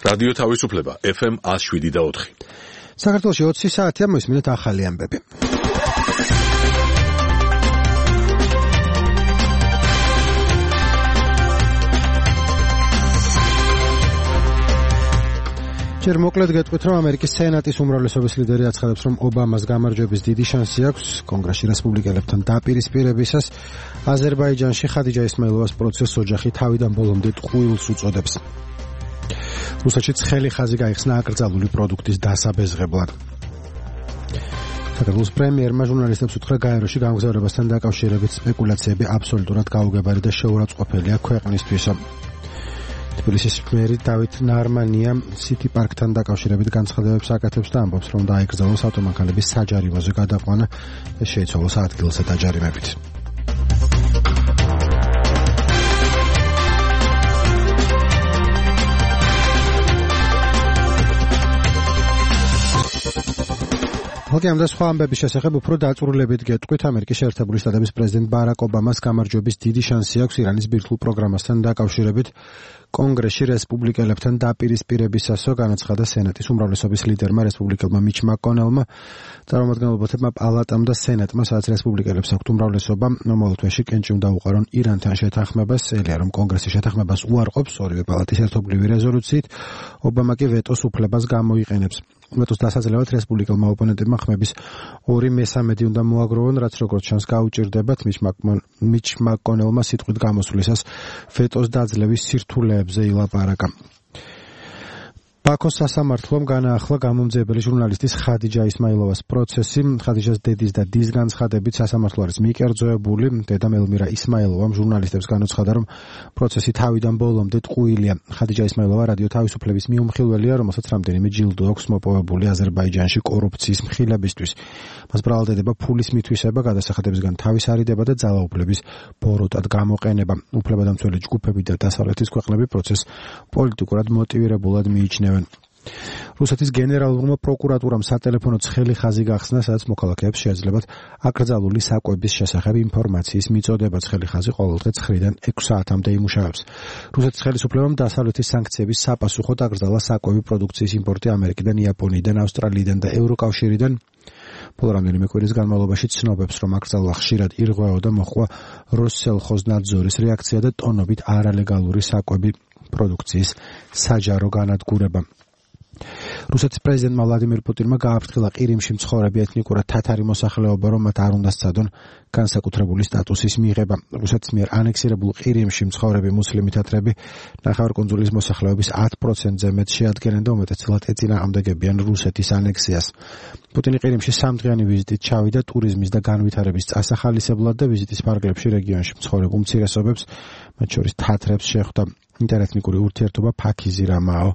რადიო თავისუფლება FM 107.4. საქართველოში 20 საათია, მოისმინეთ ახალი ამბები. ჯერ მოკლედ გეტყვით, რომ ამერიკის სენატის უმრავლესობის ლიდერი აცხადებს, რომ ობამას გამარჯვების დიდი შანსი აქვს კონგრესში რესპუბლიკელებთან დაპირისპირებისას. აზერბაიჯანში ხადიჯა ისმაილოვას პროცესს ოჯახი თავიდან ბოლომდე ტყუილს უწოდებს. რუსეთში ცხელი ხაზი გაიხსნა აკრძალული პროდუქტის დასაბეზღებლად. საქართველოს პრემიერმა ჟურნალისტებს უთხრა გაეროში გამგზავრებასთან დაკავშირებით სპეკულაციები აბსოლუტურად გაუგებარი და შეურაცხყოფელია ქვეყნისთვის. თბილისის მერი დავით ნარმანია სიტი პარკთან დაკავშირებით განცხადებებს აკეთებს და ამბობს, რომ დაიკრძალოს ავტომანქანების საჯარივოზე გადაყვანა და შეიცვალოს ადგილზე დაჯარიმებით. ამ და სხვა ამბების შესახებ უფრო დაწვრილებით გეტყვით. ამერიკის შეერთებული შტატების პრეზიდენტ ბარაკ ობამას გამარჯვების დიდი შანსი აქვს ირანის ბირთვულ პროგრამასთან დაკავშირებით კონგრესში რესპუბლიკელებთან დაპირისპირებისასო, განაცხადა სენატის უმრავლესობის ლიდერმა რესპუბლიკელმა მიჩ მაკონელმა. წარმომადგენლობათა პალატამ და სენატმა, სადაც რესპუბლიკელებს აქვთ უმრავლესობა, მომავალ თვეში კენჭი უნდა უყარონ ირანთან შეთანხმებას. ელია, რომ კონგრესი შეთანხმებას უარყოფს ორივე პალატის ერთობლივი რეზოლუციით, ობამა კი ვეტოს უფლებას გამოიყენებს. ვეტოს დასაძლევად რესპუბლიკელმა ოპონენტებმა ხმების 2/3 უნდა მოაგროვონ, რაც როგორც ჩანს გაუჭირდებათ. მიჩ მაკონელმა სიტყვით გამოსვლისას ვეტოს დაძლევის სირთულეებზე ილაპარაკა. ბაქოს სასამართლომ განაახლა გამომძიებელი ჟურნალისტის ხადიჯა ისმაილოვას პროცესი. ხადიჯას დედის და დის განცხადებით სასამართლო არის მიკერძოებული. დედა მელმირა ისმაილოვამ ჟურნალისტებს განუცხადა, რომ პროცესი თავიდან ბოლომდე ტყუილია. ხადიჯა ისმაილოვა რადიო თავისუფლების მიუმხილველია, რომელსაც რამდენიმე ჯილდო აქვს მოპოვებული აზერბაიჯანში კორუფციის მხილებისთვის. მას ბრალდება ფულის მითვისება, გადასახადებისგან თავის არიდება და ძალაუფლების ბოროტად გამოყენება. უფლებადამცველი ჯგუფები და დასავლეთის ქვეყნები პროცესს პოლიტიკურად მოტივირებულად მიიჩნევენ. რუსეთის გენერალურმა პროკურატურამ სატელეფონო ცხელი ხაზი გახსნა, სადაც მოქალაქეებს შეეძლებათ აკრძალული საკვების შესახებ ინფორმაციის მიწოდება. ცხელი ხაზი ყოველდღე 9-დან 6 საათამდე იმუშავებს. რუსეთის ხელისუფლებამ დასავლეთის სანქციების საპასუხოდ აკრძალა საკვები პროდუქციის იმპორტი ამერიკიდან, იაპონიიდან, ავსტრალიიდან და ევროკავშირიდან. ბოლო რამდენიმე კვირის განმავლობაში ცნობებს, რომ აკრძალვა ხშირად ირღვეო და მოხდა როსსელხოზნადზორის რეაქცია და ტონობით არალეგალური საკვები პროდუქციის საჯარო განადგურება. რუსეთის პრეზიდენტმა ვლადიმირ პუტინმა გააფრთხილა ყირიმში მცხოვრები ეთნიკურად თათარი მოსახლეობა, რომ მათ არ უნდა სცადონ განსაკუთრებული სტატუსის მიღება. რუსეთის მიერ ანექსირებულ ყირიმში მცხოვრები მუსლიმი თათრები ნახევარკუნძულის მოსახლეობის 10%-ზე მეტ შეადგენენ და უმეტესწილად ეწინააღმდეგებიან რუსეთის ანექსიას. პუტინი ყირიმში 3დღიანი ვიზიტით ჩავიდა ტურიზმის და განვითარების წასახალისებლად და ვიზიტის ფარგლებში რეგიონში მცხოვრებ უმცირესობებს, მათ შორის თათრებს შეხვდა. ინტერეთნიკური ურთიერთობა ფაქიზი რამაო,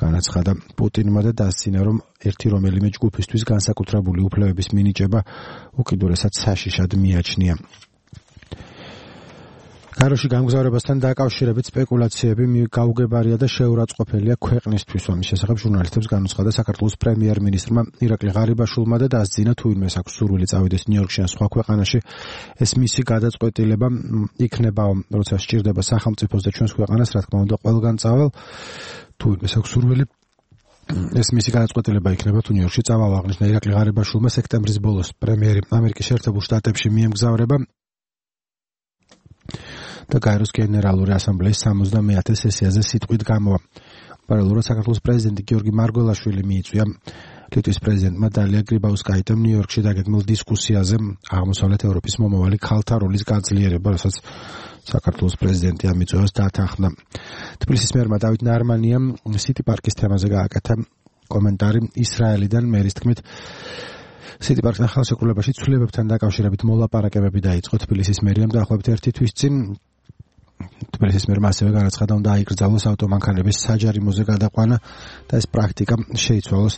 განაცხადა პუტინმა და დასცინა, რომ ერთი რომელიმე ჯგუფისთვის განსაკუთრებული უფლებების მინიჭება უკიდურესად საშიშად მიაჩნია. გაეროში გამგზავრებასთან დაკავშირებით სპეკულაციები გაუგებარია და შეურაცხყოფელია ქვეყნისთვის. ამის შესახებ ჟურნალისტებს განუცხადა საქართველოს პრემიერ-მინისტრმა ირაკლი ღარიბაშვილმა და დასძინა, თუ ვინმეს აქვს სურვილი წავიდეს ნიუ-იორკში ან სხვა ქვეყანაში, ეს მისი გადაწყვეტილება იქნება, როცა სჭირდება სახელმწიფოს და ჩვენს ქვეყანას, რა თქმა უნდა, ყველგან წავალ. თუ ვინმეს აქვს სურვილი, ეს მისი გადაწყვეტილება იქნება, თუ ნიუ-იორკში წავალ. აღნიშნა ირაკლი ღარიბაშვილმა სექტემბრის ბოლოს პრემიერი ამერიკის შეერთებულ შტატებში მიემგზავრება და გაეროს გენერალური ასამბლეის 70-ე სესიაზე სიტყვით გამოვა. პარალელურად საქართველოს პრეზიდენტი გიორგი მარგველაშვილი მიიწვია ლიტვის პრეზიდენტმა დალია გრიბაუსკაიტემ ნიუ-იორკში დაგეგმილ დისკუსიაზე აღმოსავლეთ ევროპის მომავალი ქალთა როლის გაძლიერება, რასაც საქართველოს პრეზიდენტი ამ მიწვევას დათანხმდა. თბილისის მერმა დავით ნარმანიამ სიტი პარკის თემაზე გააკეთა კომენტარი ისრაელიდან. მერის თქმით, სიტი პარკთან ხელშეკრულებაში ცვლილებებთან დაკავშირებით მოლაპარაკებები დაიწყო. თბილისის მერიამ დაახლოებით 1 თვის წინ თბილისის მერმა ასევე განაცხადა, უნდა აიკრძალოს ავტომანქანების საჯარიმოზე გადაყვანა და ეს პრაქტიკა შეიცვალოს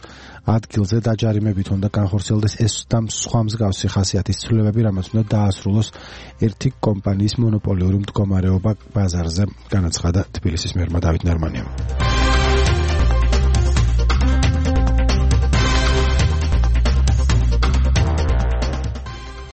ადგილზე დაჯარიმებით. უნდა განხორციელდეს ეს და სხვა მსგავსი ხასიათის ცვლილებები, რამაც უნდა დაასრულოს ერთი კომპანიის მონოპოლიური მდგომარეობა ბაზარზე, განაცხადა თბილისის მერმა დავით ნარმანიამ.